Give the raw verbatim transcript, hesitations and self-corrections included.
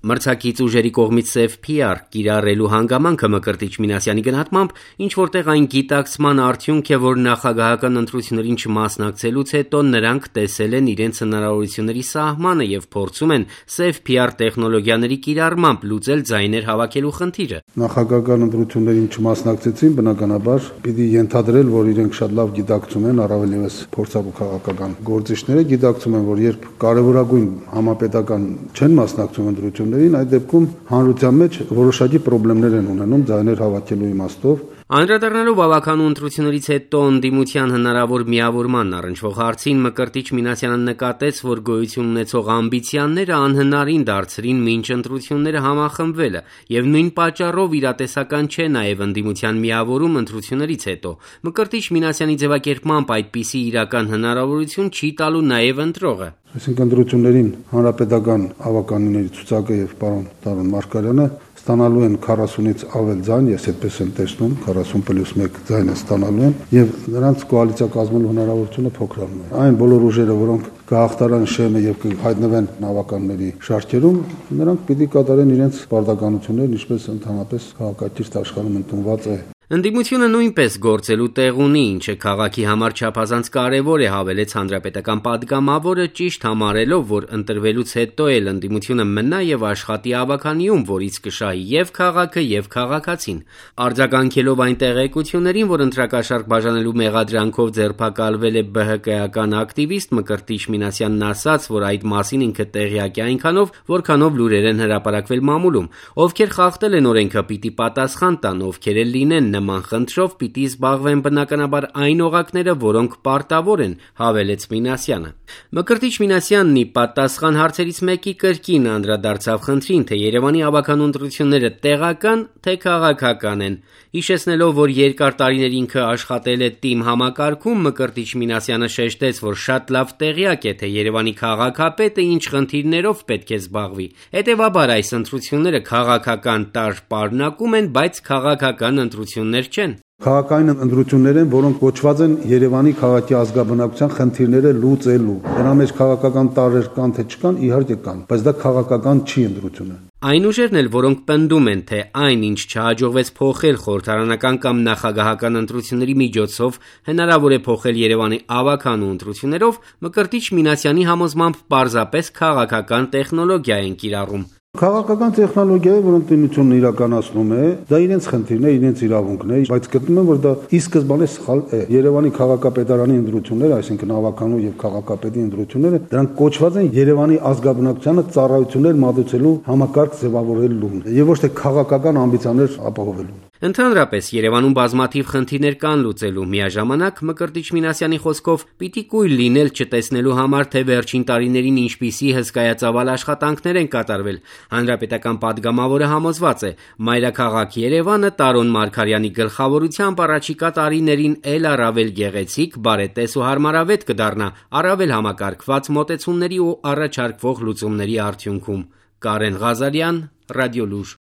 Մրցակից ուժերի կողմից սև փի ար կիրառելու հանգամանքը Մկրտիչ Մինասյանի գնահատմամբ ինչ-որտեղ այն գիտակցման արդյունք է, որ նախագահական ընտրություններին չմասնակցելուց հետո նրանք տեսել են իրենց հնարավորությունների սահմանը եւ փորձում են սև փի ար տեխնոլոգիաների կիրառմամբ լուծել ձայներ հավաքելու խնդիրը։ Նախագահական ընտրություններին չմասնակցեցին, բնականաբար պիտի ենթադրել, որ իրենք շատ լավ գիտակցում են, առավել ևս փորձառու քաղաքական գործիչները գիտակցում են, որ երբ կարևորագույն համապետական չեն մասնակցում ընտրություններին, այդ դեպքում հանրության մեջ որոշակի խնդիրներ են ունենում ձայներ հավաքելու իմաստով։ Անդրադառնալով ավականու ընտրություններից հետո ընդդիմության հնարավոր միավորման առնչվող հարցին Մկրտիչ Մինասյանը նկատեց, որ գոյություն ունեցող ամբիցիաները անհնարին դարձրին մինչ ընտրությունները համախմբվելը, եւ նույն պատճառով իրատեսական չէ նաեւ ընդդիմության միավորում ընտրություններից հետո։ Մկրտիչ Մինասյանի ձևակերպմամբ այդպիսի իրական հնարավորություն չի տալու նաեւ ընտրողը։ Այսինքն ընտրություններին հանրապետական ավականիների ցուցակը եւ պարոն Տարոն Մարգարյանը ստանալու են քառասունից ավել ձայն, ես այդպես եմ տեսնում, քառասուն պլյուս մեկ ձայնը ստանալու են եւ նրանց կոալիցիա կազմելու հնարավորությունը փոքրանում է։ Այն բոլոր ուժերը, որոնք կհաղթարան շեմը եւ կհայտնվեն ավականների շարքերում, նրանք պիտի կատարեն իրենց պարտականություններն, ինչպես ընդհանրապես քաղաքակիրթ աշխարհում ընդունված է։ Ընդդիմությունը նույնպես գործելու տեղ ունի, ինչը քաղաքի համար չափազանց կարևոր է, հավելեց հանրապետական պատգամավորը, ճիշտ համարելով, որ ընտրվելուց հետո էլ ընդդիմությունը մնա եւ աշխատի ավականիում, որից կշահի եւ քաղաքը եւ քաղաքացին։ Արձագանքելով այն տեղեկություններին, որ ընտրակաշառք բաժանելու մեղադրանքով ձերբակալվել է бэ հը կայական ակտիվիստ, Մկրտիչ Մինասյանն ասաց, որ այդ մասին ինքը տեղյակ է այնքանով, որքանով լուրեր են հրապարակվել մամուլում։ Ովքեր խախտել են օրենքը, պիտի պատասխան տան, ովքեր էլ լինեն նման խնդրով պիտի զբաղվեն բնականաբար այն օղակները, որոնք պարտավոր են, հավելեց Մինասյանը։ Մկրտիչ Մինասյանն ի պատասխան հարցերից մեկի կրկին անդրադարձավ խնդրին, թե Երևանի ավականու ընտրությունները տեղական, թե քաղաքական են։ Հիշեցնելով, որ երկար տարիներ ինքը աշխատել է ՏԻՄ համակարգում, Մկրտիչ Մինասյանը շեշտեց, որ շատ լավ տեղյակ է, թե Երևանի քաղաքապետը ինչ խնդիրներով պետք է զբաղվի։ Հետևաբար այս ընտրությունները քաղաքական տարր պարունակում են, բայց քաղաքական ընտրություններ չեն։ Քաղաքային ընտրություններ են, որոնք կոչված են Երևանի քաղաքի ազգաբնակության խնդիրները լուծելու։ Դրա մեջ քաղաքական տարրեր կան թե չկան, իհարկե կան, բայց դա քաղաքական չի ընտրությունը։ Այն ուժերն էլ, որոնք պնդում են, թե այն, ինչ չհաջողվեց փոխել խորհրդարանական կամ նախագահական ընտրությունների միջոցով, հնարավոր է փոխել Երևանի ավականու ընտրություններով, Մկրտիչ Մինասյանի համոզմամբ պարզապես քաղաքական տեխնոլոգիա են կիրառում։ Քաղաքական տեխնոլոգիա է, որ ընդդիմությունն իրականացնում է, դա իրենց խնդիրն է, իրենց իրավունքն է, բայց գտնում եմ, որ դա ի սկզբանե սխալ է։ Երևանի քաղաքապետարանի ընտրությունները, այսինքն ավականու եւ քաղաքապետի ընտրությունները, դրանք կոչված են Երևանի ազգաբնակչությանը ծառայություններ մատուցելու համակարգ ձևավորելու եւ ոչ թե քաղաքական ամբիցիաներ ապահովելու։ Ընդհանրապես Երևանում բազմաթիվ խնդիրներ կան լուծելու, միաժամանակ Մկրտիչ Մինասյանի խոսքով պիտի կույր լինել չտեսնելու համար, թե վերջին տարիներին ինչպիսի հսկայածավալ աշխատանքներ են կատարվել։ Հանրապետական պատգամավորը համոզված է, մայրաքաղաք Երևանը Տարոն Մարգարյանի գլխավորությամբ առաջիկա տարիներին էլ առավել գեղեցիկ, բարետես ու հարմարավետ կդառնա առավել համակարգված մոտեցումների ու առաջարկվող լուծումների արդյունքում։ Կարեն Ղազարյան, Ռադիոլուր։